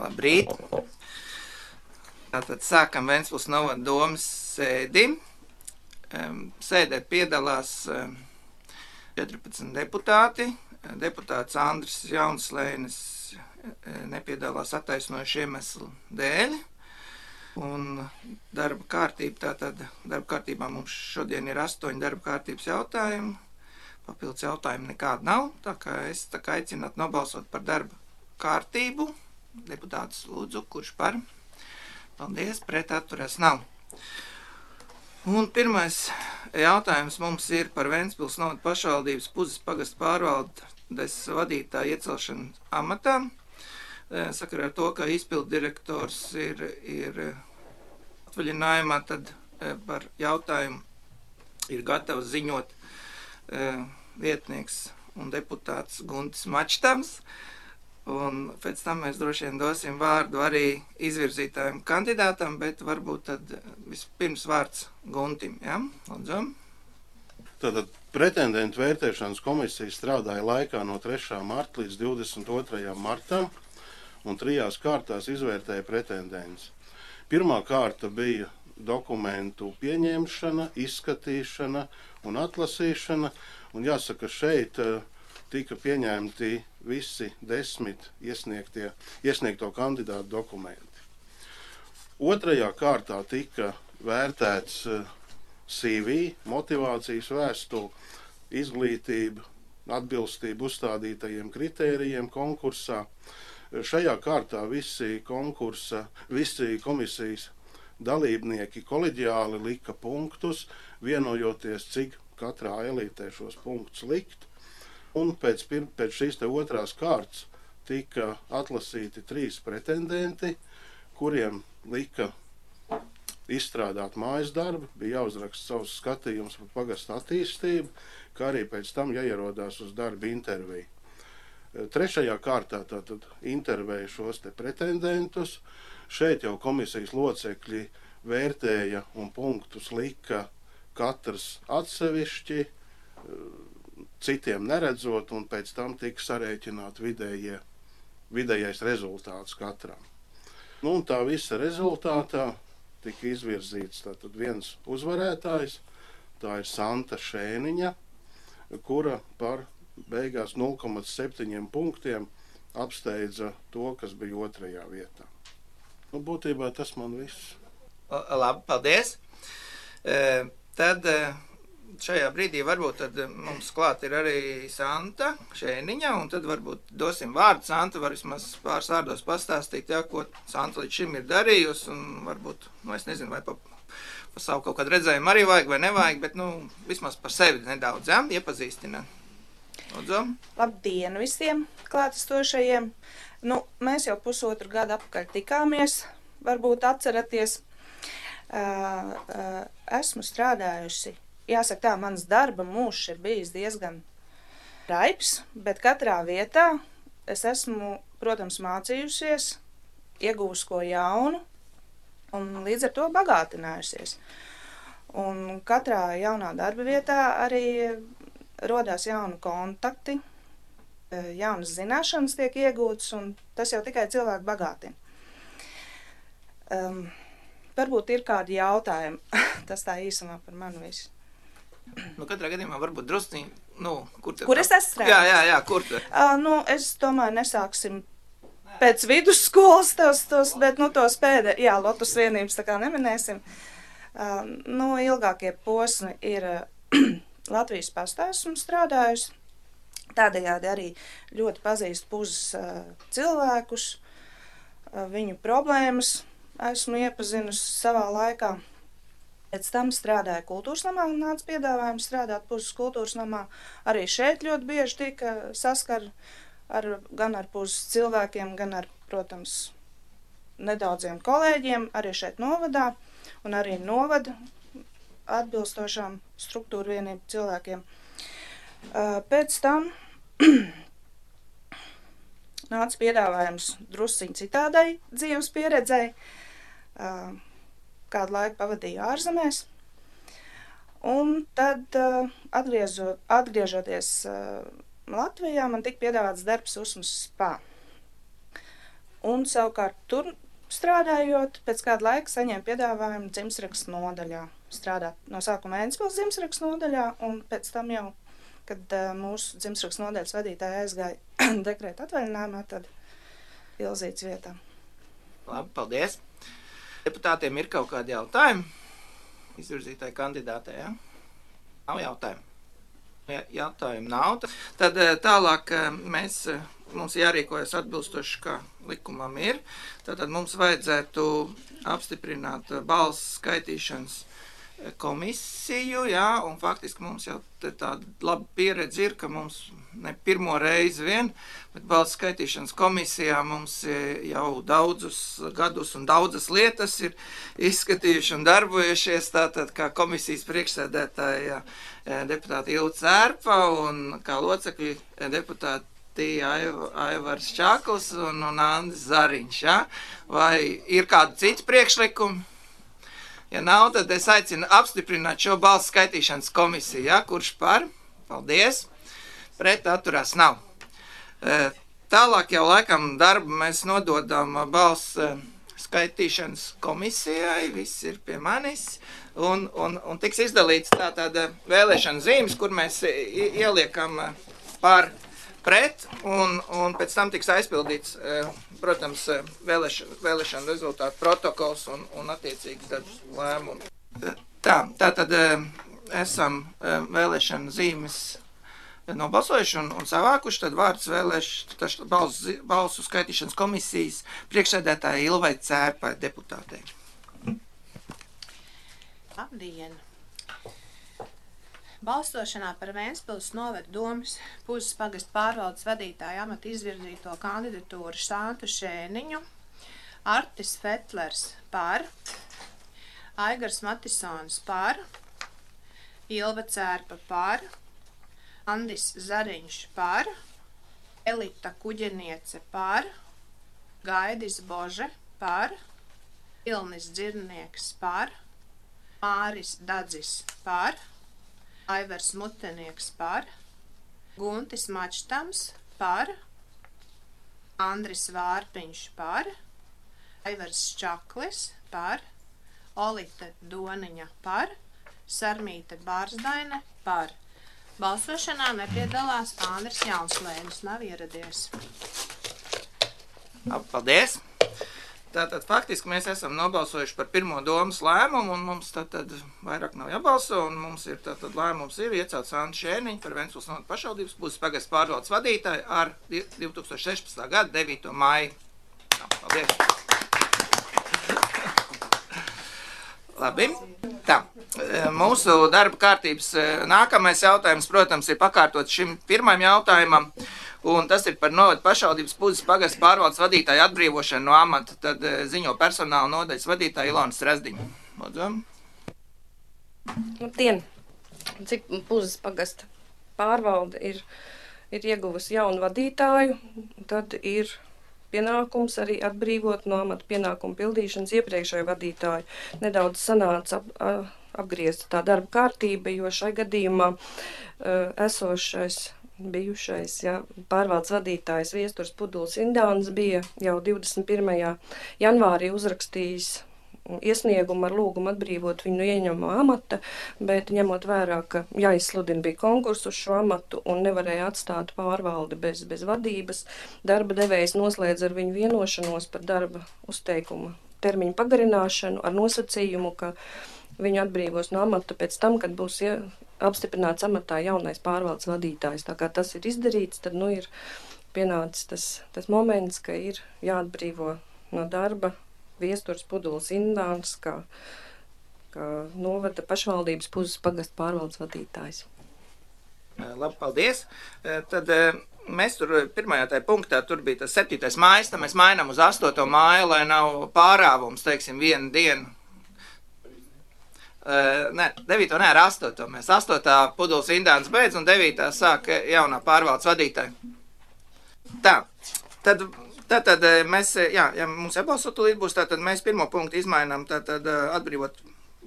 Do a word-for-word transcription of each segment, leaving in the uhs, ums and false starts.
Labrīt! Tātad sākam Ventspils novada domas sēdi. Sēdē piedalās četrpadsmit deputāti. Deputāts Andris Jaunslēnis nepiedalās attaisnojušu iemeslu dēļ. Un darba kārtība, tātad darba kārtībā mums šodien ir astoņi darba kārtības jautājumi. Papildus jautājumu nekāda nav, tā kā es tā kā aicinātu nobalsot par darba kārtību. Deputātus lūdzu, kurš par? Paldies, pret atturēs nav. Un pirmais jautājums mums ir par Ventspils novada pašvaldības Puzes pagasta pārvaldes vadītāja iecelšanu amatā. Sakarā ar to, ka izpildu direktors ir, ir atvaļinājumā, tad par jautājumu ir gatavs ziņot vietnieks un deputāts Guntis Mačtams. Un pēc tam mēs droši vien dosim vārdu arī izvirzītājiem kandidātam, bet varbūt tad vispirms vārds Guntim, ja? Lūdzu. Tātad pretendentu vērtēšanas komisija strādāja laikā no trešā marta līdz divdesmit otrajam martam un trijās kārtās izvērtēja pretendents. Pirmā kārta bija dokumentu pieņemšana, izskatīšana un atlasīšana, un jāsaka, šeit tika pieņemti visi desmit iesniegtie, iesniegto kandidātu dokumenti. Otrajā kārtā tika vērtēts C V, motivācijas vēstule, izglītība, atbilstība uzstādītajiem kritērijiem konkursā. Šajā kārtā visi konkursa, visi komisijas dalībnieki koleģiāli lika punktus, vienojoties, cik katrā elītē šos punktus likt. Un pēc, pēc šīs te otrās kārtas tika atlasīti trīs pretendenti, kuriem lika izstrādāt mājas darbu, bija jāuzraksta savus skatījumus par pagasta attīstību, kā arī pēc tam jāierodās uz darba interviju. Trešajā kārtā tātad intervēja šos te pretendentus. Šeit jau komisijas locekļi vērtēja un punktus lika katrs atsevišķi, citiem neredzot, un pēc tam tika sarēķināt vidējie, vidējais rezultāts katram. Nu, un tā visa rezultātā tika izvirzīts tātad viens uzvarētājs, tā ir Santa Šēniņa, kura par beigās nulle komats septiņi punktiem apsteidza to, kas bija otrajā vietā. Nu, būtībā tas man viss. Labi, paldies. E, tad šajā brīdī varbūt tad mums klāt ir arī Santa Šēniņa, un tad varbūt dosim vārdu. Santa var vismaz pāris vārdos pastāstīt, jā, ko Santa līdz šim ir darījusi, un varbūt, nu es nezinu, vai pa, pa savu kaut kādu redzējumu arī vajag vai nevajag, bet, nu, vismaz par sevi nedaudz, jā, iepazīstina. Lūdzu. Labdien visiem klātesošajiem. Nu, mēs jau pusotru gadu apakaļ tikāmies, varbūt atceraties. Uh, uh, esmu strādājusi. Jāsaka tā, mans darba mūžs ir bijis diezgan raips, bet katrā vietā es esmu, protams, mācījusies, iegūst ko jaunu un līdz ar to bagātinājusies. Un katrā jaunā darba vietā arī rodās jauni kontakti, jaunas zināšanas tiek iegūtas, un tas jau tikai cilvēku bagātina. Um, varbūt ir kādi jautājumi, tas tā īsumā par mani visu. Nu, katrā gadījumā varbūt drusciņi, nu, kur tad? Kur es esmu strādājis? Jā, jā, jā, kur tad? Uh, nu, es domāju, nesāksim pēc vidusskolas tos, tos, bet, nu, tos pēdē, jā, Lotus vienības tā kā neminēsim. Uh, nu, ilgākie posmi ir uh, Latvijas pastā esmu strādājusi. Tādējādi arī ļoti pazīstu Puzes uh, cilvēkus, uh, viņu problēmas esmu iepazinusi savā laikā. Pēc tam strādāju kultūras namā, nāca piedāvājums strādāt Puzes kultūras namā. Arī šeit ļoti bieži tika saskar ar, gan ar Puzes cilvēkiem, gan ar, protams, nedaudziem kolēģiem, arī šeit novadā, un arī novada atbilstošām struktūra vienību cilvēkiem. Pēc tam nāca piedāvājums drusciņ citādai dzīves pieredzei. Kādu laiku pavadīju ārzemēs, un tad uh, atgriežot, atgriežoties uh, Latvijā, man tika piedāvāts darbs Usmas spā. un savukārt tur strādājot, pēc kāda laika saņēma piedāvājumu dzimstrakstu nodaļā. Strādāt no sākuma Ventspils dzimstrakstu nodaļā, un pēc tam jau, kad uh, mūsu dzimstrakstu nodaļas vadītāja aizgāja dekrēta atvaļinājumā, tad Ilzītes vietā. Labi, paldies. Deputātiem ir kaut kādi jautājumi izvirzītāji kandidātei, ja? Nav jautājumu. Ja jautājumu nav, tad tālāk mēs, mums jārīkojas atbilstoši, kā likumam ir. Tātad mums vajadzētu apstiprināt balsu skaitīšanas komisiju, jā, un faktiski mums jau tāda laba pieredze ir, ka mums ne pirmo reizi vien, bet balsu skaitīšanas komisijā mums jau daudzus gadus un daudzas lietas ir izskatījuši un darbojušies, tātad kā komisijas priekšsēdētāja deputāta Ilva Cērpa un kā locekļi deputāti Aivars Čakls un, un Andris Zariņš, ja? Vai ir kādi citi priekšlikumi? Ja nav, tad es aicinu apstiprināt šo balsu skaitīšanas komisiju, ja? Kurš par? Paldies. Pret atturās nav. Tālāk jau laikam darbu mēs nododam balsu skaitīšanas komisijai, viss ir pie manis, un, un, un tiks izdalīts tā tāda vēlēšana zīmes, kur mēs ieliekam par pret, un, un pēc tam tiks aizpildīts, protams, vēlēšana, vēlēšana rezultātu protokols un, un attiecīgi tad lēmumi. Tā, tā tad esam vēlēšana zīmes nobalsojuši un, un savākuši, tad vārds vēlēšu balsu, balsu skaitīšanas komisijas priekšsēdētāja Ilvai Cērpai deputātei. Labdien! Balsošanā par Ventspils novada domas Puzes pagasta pārvaldes vadītāja amata izvirzīto kandidatūru Santu Šēniņu, Artis Fetlers par, Aigars Matisons par, Ilva Cērpa par, Andis Zariņš par, Elita Kuģeniece par, Gaidis Bože par, Ilnis Dzirnieks par, Māris Dadzis par, Aivars Mutenieks par, Guntis Mačtams par, Andris Vārpiņš par, Aivars Čaklis par, Olita Doniņa par, Sarmīte Bārsdaine par. Balsošanā nepiedalās Andris Jaunslēnis, nav ieradies. Paldies! Tātad faktiski mēs esam nobalsojuši par pirmo domas lēmumu, un mums tātad vairāk nav jābalso, un mums ir tātad lēmums ir iecelt Santu Šēniņu par Ventspils novada pašvaldības Puzes pagasta pārvaldes vadītāju ar divi tūkstoši sešpadsmitā gada devīto maiju. Paldies! Labi. Tā, mūsu darba kārtības nākamais jautājums, protams, ir pakārtot šim pirmajam jautājumam, un tas ir par novada pašvaldības Puzes pagasta pārvaldes vadītāju atbrīvošanu no amata, tad ziņo personāla nodaļas vadītāja Ilona Strasdiņa. Lūdzu. Labdien! Cik Puzes pagasta pārvalde ir, ir ieguvusi jaunu vadītāju, tad ir pienākums arī atbrīvot no amata pienākumu pildīšanas iepriekšējo vadītāju. Nedaudz sanāca ap, apgriezt tā darba kārtība, jo šai gadījumā uh, esošais, bijušais ja, pārvaldes vadītājs Viesturs Puduls Indāns bija jau divdesmit pirmajā janvārī uzrakstījis iesniegumu ar lūgumu atbrīvot viņu no ieņemamā amata, bet ņemot vērā, ka jāizsludina bija konkursu uz šo amatu un nevarēja atstāt pārvaldi bez, bez vadības, darba devējs noslēdz ar viņu vienošanos par darba uzteikumu termiņu pagarināšanu ar nosacījumu, ka viņu atbrīvos no amata pēc tam, kad būs ja, apstiprināts amatā jaunais pārvaldes vadītājs. Tā kā tas ir izdarīts, tad nu ir pienācis tas, tas moments, ka ir jāatbrīvo no darba Viesturs Puduls Indāns, kā, kā novada pašvaldības Puzes pagasta pārvaldes vadītājs. Labi, paldies. Tad mēs tur pirmajā tajā punktā, tur bija tas septītais mājas, tad mēs mainām uz astoto māju, lai nav pārāvums, teiksim, vienu dienu. Nē, devīto nē, ar astoto. Mēs astotā Puduls Indāns beidz un devītā sāk jaunā pārvaldes vadītāja. Tā, tad... Tātad mēs, jā, ja mums jābalso tūlīt būs, tātad mēs pirmo punktu izmainām, tātad atbrīvot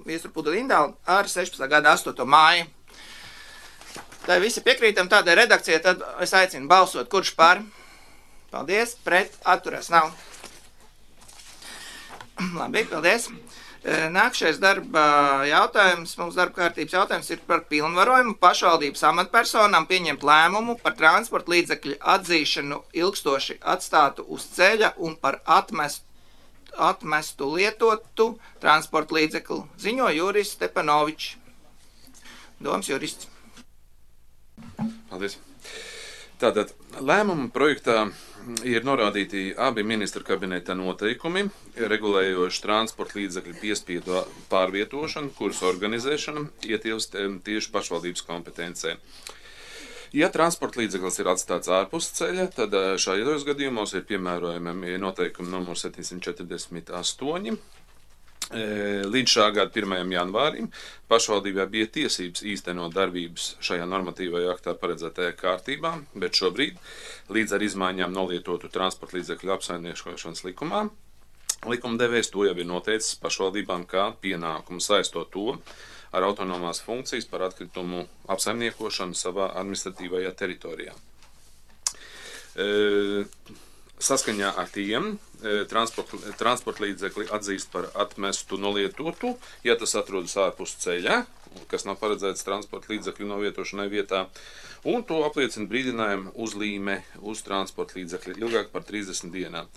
Viesturu Puduli Indānu ar sešpadsmitā gada astoto māju. Tā visi piekrītam tādai redakcijai, tad es aicinu balsot, kurš par. Paldies, pret, atturās nav. Labi, paldies. Nākšais darba jautājums, mums darba kārtības jautājums ir par pilnvarojumu pašvaldības amatpersonām pieņemt lēmumu par transporta līdzekļu atzīšanu ilgstoši atstātu uz ceļa un par atmestu, atmestu lietotu transporta līdzekli. Ziņo Juris Stepanovičs, domas jurists. Paldies. Tātad lēmuma projektā ir norādīti abi ministra kabineta noteikumi, regulējoši transporta līdzekļu piespiedu pārvietošanu, kuras organizēšana ietilpst tieši pašvaldības kompetencē. Ja transporta līdzeklis ir atstāts ārpus ceļa, tad šajos gadījumos ir piemērojami noteikumi numur septiņsimt četrdesmit astoņi. Līdz šā gada pirmajam janvārim pašvaldībā bija tiesības īstenot darbības šajā normatīvajā aktā paredzētajā kārtībā, bet šobrīd, līdz ar izmaiņām nolietotu transporta līdzekļu apsaimniekošanas likumā, likumdevējs to jau ir noteicis pašvaldībām kā pienākumu saistot to ar autonomās funkcijas par atkritumu apsaimniekošanu savā administratīvajā teritorijā. E, Saskaņā ar tiem transporta, transporta līdzekli atzīst par atmestu nolietotu, ja tas atrodas ārpus ceļa, kas nav paredzēts transporta līdzekļu novietošanai vietā, un to apliecina brīdinājumu uzlīme uz transporta līdzekļu ilgāk par trīsdesmit dienām.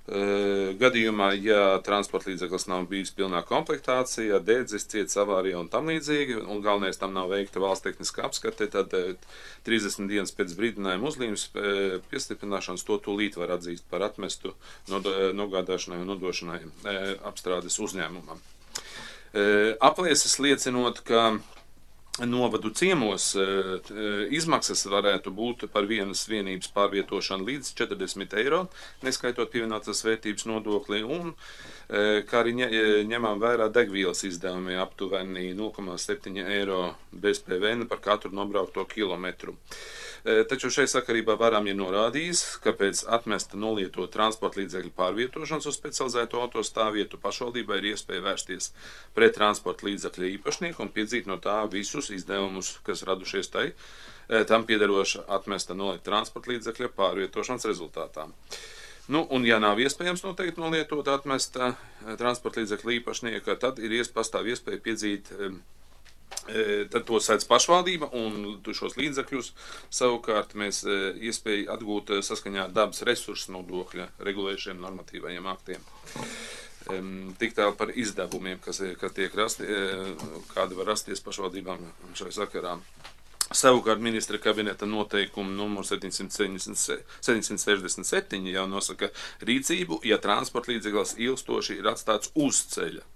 Gadījumā, ja transporta līdzeklis nav bijis pilnā komplektācijā, dedzis, ciets avārijā un tam līdzīgi, un galvenais tam nav veikta valsts tehniskā apskate, tad trīsdesmit dienas pēc brīdinājuma uzlīmes piestiprināšanas to tūlīt var atzīst par atmestu nogādāšanai un nodošanai apstrādes uzņēmumam. Aplieses liecinot, ka novadu ciemos izmaksas varētu būt par vienas vienības pārvietošanu līdz četrdesmit eiro, neskaitot pievienotās vērtības nodokli, un kā arī ņemam vērā degvielas izdevumi aptuveni nulle komā septiņi eiro bez P V N par katru nobraukto kilometru. Taču šai sakarībā varam ir norādījis, ka pēc atmesta nolieto transporta līdzekļu pārvietošanas uz specializēto autostāvvietu pašvaldībai ir iespēja vērsties pret transporta līdzekļu īpašnieku un piedzīt no tā visus izdevumus, kas radušies tai, tam piederoša atmesta nolieta transporta līdzekļa pārvietošanas rezultātā. Nu, un ja nav iespējams noteikti nolietot atmesta transporta līdzekļu īpašnieka, tad ir ies, pastāv iespēja piedzīt tad to sēdz pašvaldība, un šos līdzekļus savukārt mēs iespēju atgūt saskaņā ar dabas resursu nodokļa regulējušiem normatīvajiem aktiem. Tik tālu par izdevumiem, kas, kas tiek rasti, kādi var rasties pašvaldībām šai sakarā. Savukārt ministra kabineta noteikumu numur septiņsimt sešdesmit septiņi jau nosaka rīcību, ja transporta līdzeklis ilgstoši ir atstāts uz ceļa.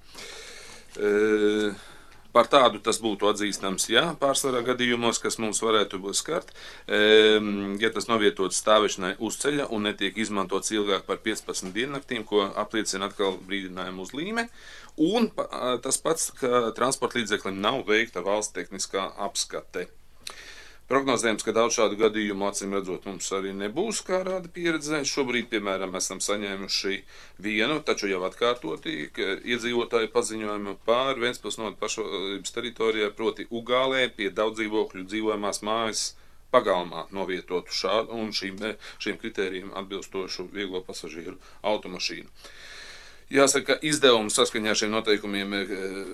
E, Par tādu tas būtu atzīstams, jā, pārsvarā gadījumos, kas mums varētu būt skart, ja tas novietots stāvēšanai uz ceļa un netiek izmantots ilgāk par piecpadsmit diennaktīm, ko apliecina atkal brīdinājumu uzlīme, un tas pats, ka transporta līdzeklim nav veikta valsts tehniskā apskate. Prognozējams, ka daudz šādu gadījumu acīm redzot mums arī nebūs, kā rāda pieredze. Šobrīd, piemēram, esam saņēmuši vienu, taču jau atkārtoti, iedzīvotāju paziņojumu pār Ventspils novada pašvaldības teritorijā, proti Ugālē pie daudzdzīvokļu dzīvojamās mājas pagalmā novietotu šādu un šīm, šīm kritērijiem atbilstošu vieglo pasažieru automašīnu. Jāsaka, izdevumi saskaņā ar šiem noteikumiem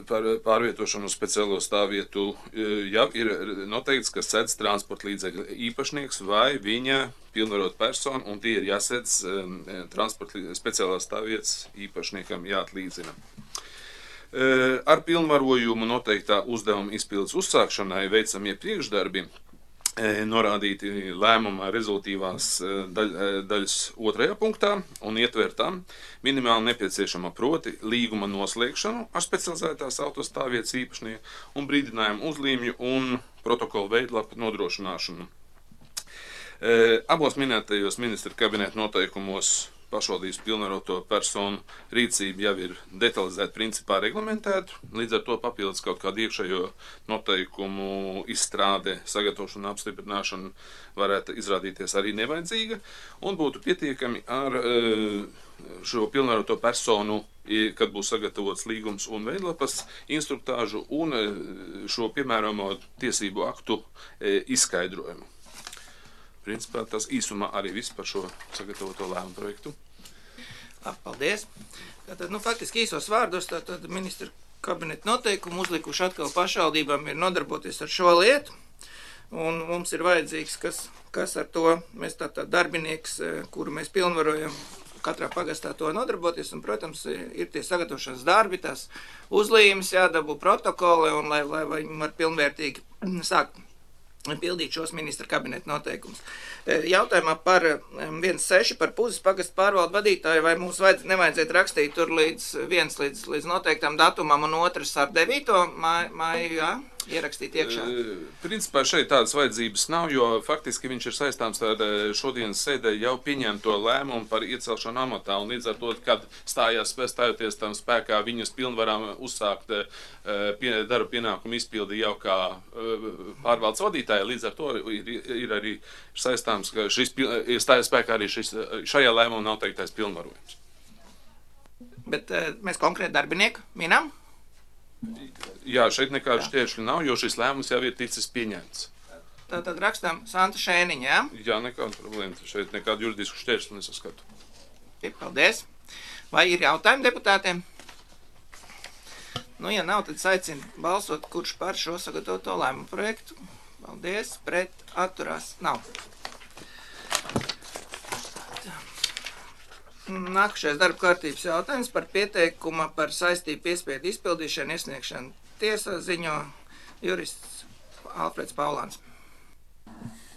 par pārvietošanu uz speciālo stāvvietu jau ir noteikts, ka sedz transporta līdzekļa īpašnieks vai viņa pilnvarot personu, un tie ir jāsedz transporta speciālās stāvvietas īpašniekam jāatlīdzina. Ar pilnvarojumu noteiktā uzdevuma izpildes uzsākšanai veicamie priekšdarbi norādīti lēmumā rezultīvās daļ, daļas otrajā punktā un ietvertām minimāli nepieciešama proti līguma noslēgšanu ar specializētās autostāvvietas īpašnieku un brīdinājumu uzlīmju un protokolu veidlapu nodrošināšanu. Abos minētajos ministra kabineta noteikumos pašvaldības pilnvaroto personu rīcība jau ir detalizēta principā reglamentēta, līdz ar to papildus kaut kādu iekšējo noteikumu izstrāde, sagatavošana, apstiprināšana varētu izrādīties arī nevajadzīga, un būtu pietiekami ar šo pilnvaroto personu, kad būs sagatavots līgums un veidlapas, instruktāžu un šo piemērojamo tiesību aktu izskaidrojumu. Principā tas īsumā arī viss par šo sagatavoto lēmumu projektu. Paldies. Tātad, nu, faktiski īsos vārdos, tātad ministra kabineta noteikumu uzlikuši atkal pašvaldībām ir nodarboties ar šo lietu, un mums ir vajadzīgs, kas, kas ar to, mēs tātad darbinieks, kuru mēs pilnvarojam, katrā pagastā to nodarboties, un, protams, ir tie sagatavošanas darbi, tās uzlīmes jādabū protokoli, un lai, lai viņi var pilnvērtīgi sākt pildīt šos ministra kabineta noteikumus. Jautājumā par viens seši par Puzes pagastu pārvaldu vadītāju, vai mums vajadz, nevajadzētu rakstīt tur līdz viens līdz, līdz noteiktām datumam un otrs ar devīto māju, jā, ierakstīt iekšā? Principā šeit tādas vajadzības nav, jo faktiski viņš ir saistāms ar šodienas sēdē jau pieņemto lēmumu par iecelšanu amatā, un līdz ar to, kad stājās stājoties tam spēkā viņas pilnvarām uzsākt pie, darba pienākumu izpildi jau kā pārvaldes vadītāja, līdz ar to ir, ir arī saistāms, ka šis ir stājās spēkā arī šis, šajā lēmumā nav teiktais pilnvarojums. Bet mēs konkrēti darbinieku minam? Jā, šeit nekādu šķēršļu nav, jo šis lēmums jau ir ticis pieņemts. Tātad rakstām Santa Šēniņa, jā? Jā, nekāda problēma. Šeit nekādu juridisku šķēršļu nesaskatu. Paldies. Vai ir jautājumi deputātiem? Nu, ja nav, tad aicinu balsot, kurš par šo sagatavoto lēmumu projektu. Paldies. Pret atturās nav. Nākušais darba kārtības jautājums par pieteikuma par saistību piespiedu izpildīšanu iesniegšanu tiesā ziņo jurists Alfreds Paulāns.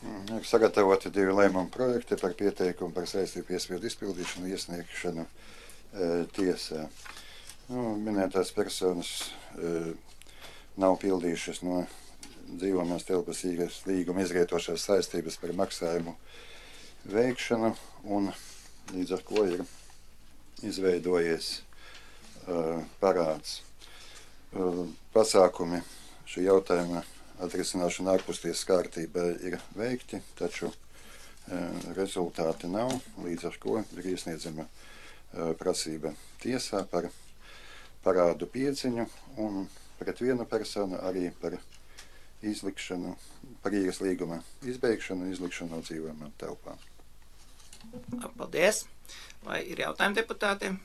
Ir sagatavoti divi lēmumu projekti par pieteikumu par saistību piespiedu izpildīšanu iesniegšanu e, tiesā. Nu, minētās personas e, nav pildījušas no dzīvojamās telpas īres līguma izrietošās saistības par maksājumu veikšanu, un līdz ar ko ir izveidojies uh, parāds. Uh, pasākumi šī jautājuma atrisināšana ārpustiesas kārtībā ir veikti, taču uh, rezultāti nav, līdz ar ko ir iesniedzama uh, prasība tiesā par parādu piedziņu un pret vienu personu arī par izlikšanu, par īres līguma izbeigšanu un izlikšanu no dzīvojamām telpām. Paldies. Vai ir jautājumi deputātiem?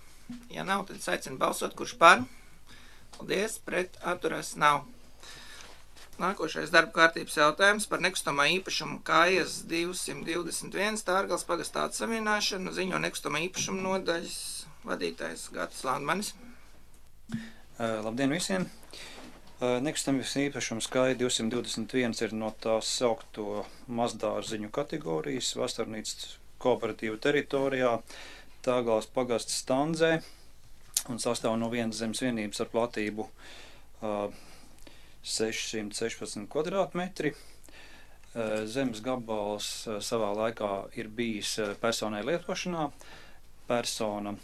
Ja nav, tad aicinu balsot, kurš par. Paldies. Pret atturās nav. Nākošais darba kārtības jautājums par nekustamā īpašumu kājas divsimt divdesmit viens Tārgales pagastā atsavienāšanu ziņo nekustamā īpašuma nodaļas vadītājs Gatis Landmanis. Uh, labdien visiem! Uh, nekustamības īpašums kāja divsimt divdesmit viens ir no tās saukto mazdārziņu kategorijas vasarnīcas kooperatīva teritorijā Tārgales pagasta Standzē un sastāv no vienas zemes vienības ar platību uh, sešsimt sešpadsmit kvadrātmetri. Uh, zemes gabals uh, savā laikā ir bijis uh, personai lietošanā. Persona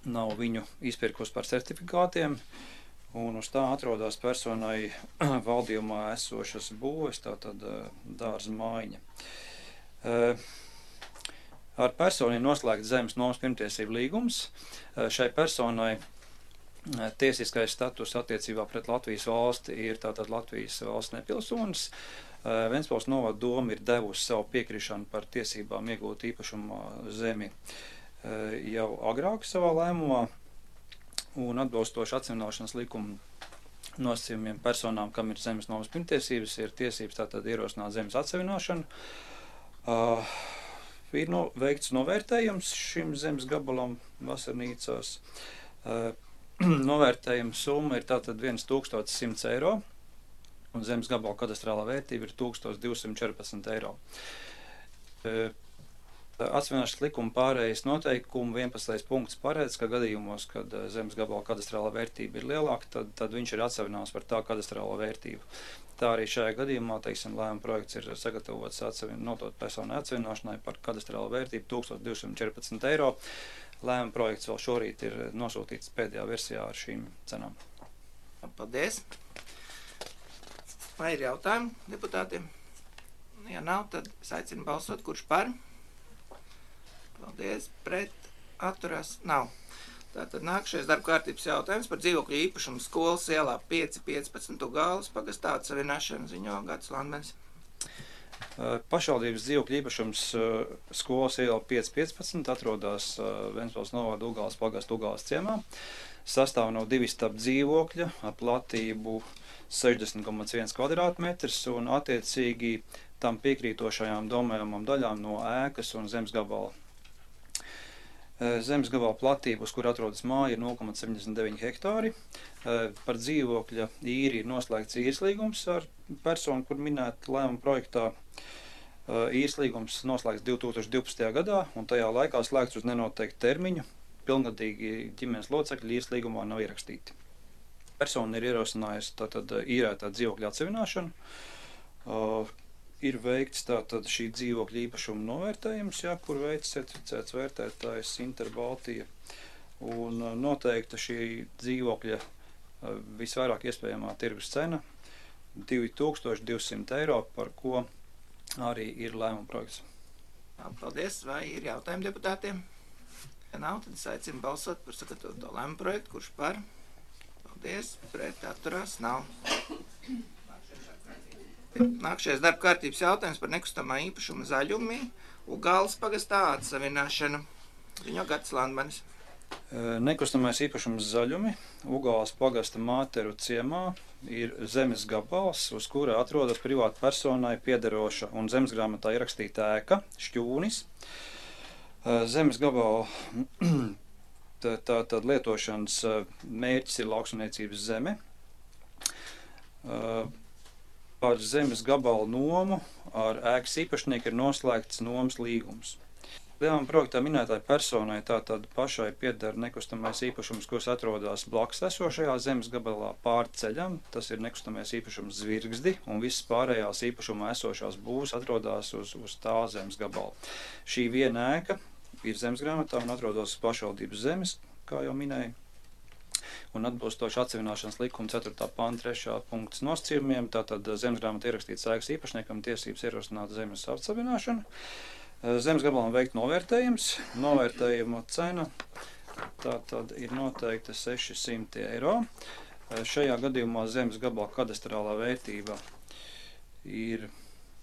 nav viņu izpirkus par certifikātiem, un uz tā atrodas personai valdījumā esošas būves, tātad uh, dārza mājiņa. Uh, Ar personu ir noslēgts zemes nomas pirmtiesību līgums. Šai personai tiesiskais status attiecībā pret Latvijas valsti ir tātad Latvijas valsts nepilsonis. Ventspils novada doma ir devusi savu piekrišanu par tiesībām iegūt īpašumu zemi jau agrāk savā lēmumā, un atbilstoši atseviļošanas likuma nosacījumiem personām, kam ir zemes nomas pirmtiesības, ir tiesības tātad ierosināt zemes atseviļošanu. Uh, Ir no, veikts novērtējums šim zemes gabalam vasarnīcās. Uh, novērtējuma summa ir tātad tūkstoš cent eiro, un zemes gabala kadastrālā vērtība ir tūkstoš divsimt četrpadsmit eiro. Uh, Atseviļošanas likuma pārējais noteikumu vienpadsmitais punkts paredz, ka gadījumos, kad zemes gabala kadastrālā vērtība ir lielāka, tad, tad viņš ir atseviļināms par tā kadastrālo vērtību. Tā arī šajā gadījumā, teiksim, lēmuma projekts ir sagatavots notot personu atseviļināšanai par kadastrālo vērtību tūkstoš divsimt četrpadsmit eiro. Lēmuma projekts vēl šorīt ir nosūtīts pēdējā versijā ar šīm cenām. Paldies. Vai ir jautājumi deputātiem? Ja nav, tad es aicinu balsot, kurš par. Paldies. Pret atturās nav. Tātad nākušais darba kārtības jautājums par dzīvokļu īpašumu skolas ielā pieci piecpadsmit Gāles pagastā atsavienāšanu ziņo Gatis Landmanis. Pašvaldības dzīvokļu īpašums skolas iela pieci piecpadsmit atrodas Ventspils novada Ugāles pagasta Ugāles ciemā. Sastāv no divi stāvu dzīvokļa ar platību sešdesmit komats viens kvadrātmetrs un attiecīgi tam piekrītošajām domājamām daļām no ēkas un zemes gabala. Zemes gabala platība, uz kur atrodas māja, ir nulle komats septiņdesmit deviņi hektāri. Par dzīvokļa īri ir noslēgts īres līgums ar personu, kur minēt lēmuma projektā. Īres līgums noslēgts divi tūkstoši divpadsmitajā gadā, un tajā laikā slēgts uz nenoteiktu termiņu. Pilngadīgi ģimenes locekļi īres līgumā nav ierakstīti. Persona ir ierosinājusi tātad īrētā dzīvokļa atsevināšanu. Uh, ir veikts tātad šī dzīvokļa īpašuma novērtējums, jā, kur veids certificēts vērtētājs Interbaltija. Un uh, noteikta šī dzīvokļa uh, visvairāk iespējamā tirgus cena divi tūkstoši divsimt eiro, par ko arī ir lēmuma projekts. Paldies. Vai ir jautājumi deputātiem? Ja nav, tad es aicinu balsot par sagatavoto lēmuma projektu. Kurš par? Paldies. Pret atturās? Nav. Nākšais darba kārtības jautājums par nekustamā īpašuma zaļumi Ugāles pagastā atsavināšanu. Viņu Gatis Landmanis. Nekustamais īpašums zaļumi Ugāles pagasta Māteru ciemā ir zemes gabals, uz kura atrodas privāta personai piederoša un zemesgrāmatā ierakstīta ēka, šķūnis. Zemes gabala tā, tā, tā lietošanas mērķis ir lauksaimniecības zeme. Par zemes gabalu nomu ar ēkas īpašnieku ir noslēgts nomas līgums. Lēmuma projektā minētāji personai tātad pašai pieder nekustamais īpašums, kurš atrodas blakus esošajā zemes gabalā pāri ceļam. Tas ir nekustamais īpašums Zvirgzdi, un visas pārējās īpašumā esošās būvs atrodas uz, uz tā zemes gabala. Šī viena ēka ir zemesgrāmatā un atrodas pašvaldības zemes, kā jau minēju. Un atbilstoši atsevināšanas likuma ceturtā panta trešā punkts nosacījumiem, tātad zemesgrāmatā ierakstīts ēkas īpašniekam tiesības ierosināt zemes atsevināšanu. Zemes gabalam veikt novērtējums. Novērtējuma cena tātad ir noteikta seši simti eiro. Šajā gadījumā zemes gabala kadastrālā vērtība ir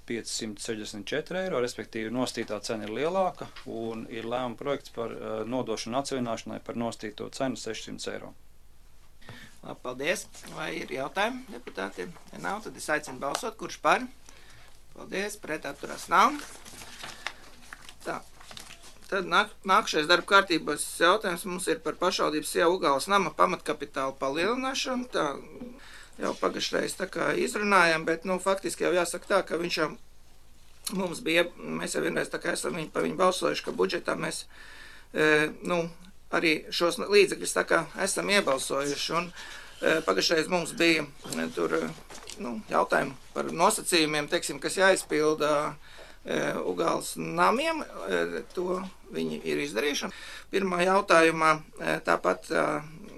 pieci simti sešdesmit četri eiro, respektīvi nostītā cena ir lielāka un ir lēmuma projekts par nodošanu atsevināšanai par nostīto cenu sešsimt eiro. Labi, paldies. Vai ir jautājumi deputātiem? Ja nav, tad es aicinu balsot. Kurš par? Paldies. Pret atturās nav. Tā. Tad nāk, nākšais darba kārtības jautājums mums ir par pašvaldības iela Ugāles nama pamatkapitāla palielināšanu. Tā jau pagaišreiz tā kā izrunājam, bet nu, faktiski jau jāsaka tā, ka viņš jau mums bija, mēs jau vienreiz tā kā esam viņu, par viņu balsojuši, ka budžetā mēs e, nu, arī šos līdzekļus tā kā esam iebalsojuši. Un e, pagaišreiz mums bija e, tur nu, jautājumi par nosacījumiem, teiksim, kas jāizpilda Ugāles namiem, to viņi ir izdarījuši. Pirmā jautājumā tāpat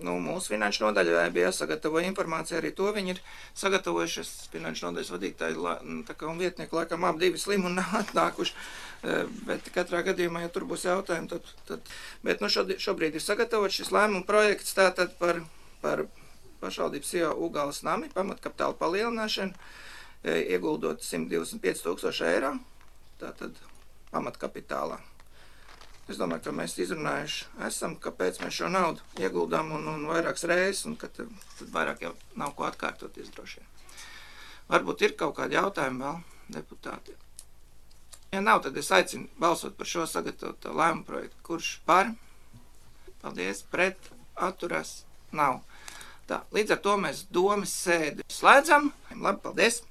nu, mūsu finanšu nodaļai bija jāsagatavo informācija, arī to viņi ir sagatavojuši. Finanšu nodaļas vadītāji tā kā un vietnieki laikam ap divi slimi un nav atnākuši, bet katrā gadījumā, ja tur būs jautājumi, tad, tad bet nu, šobrīd ir sagatavots šis lēmuma projekts tātad par, par pašvaldības iela Ugāles nami, pamatkapitāla palielināšanu, ieguldot simt divdesmit pieci tūkstoši eiro. Tātad pamatkapitālā. Es domāju, ka mēs izrunājuši esam, kāpēc mēs šo naudu ieguldām un, un vairākas reizes, un ka tad, tad vairāk jau nav ko atkārtoties droši vien. Varbūt ir kaut kādi jautājumi vēl deputātiem. Ja nav, tad es aicinu balsot par šo sagatavoto lēmumu projektu. Kurš par? Paldies. Pret atturās? Nav. Tā, līdz ar to mēs domas sēdi slēdzam. Labi, paldies.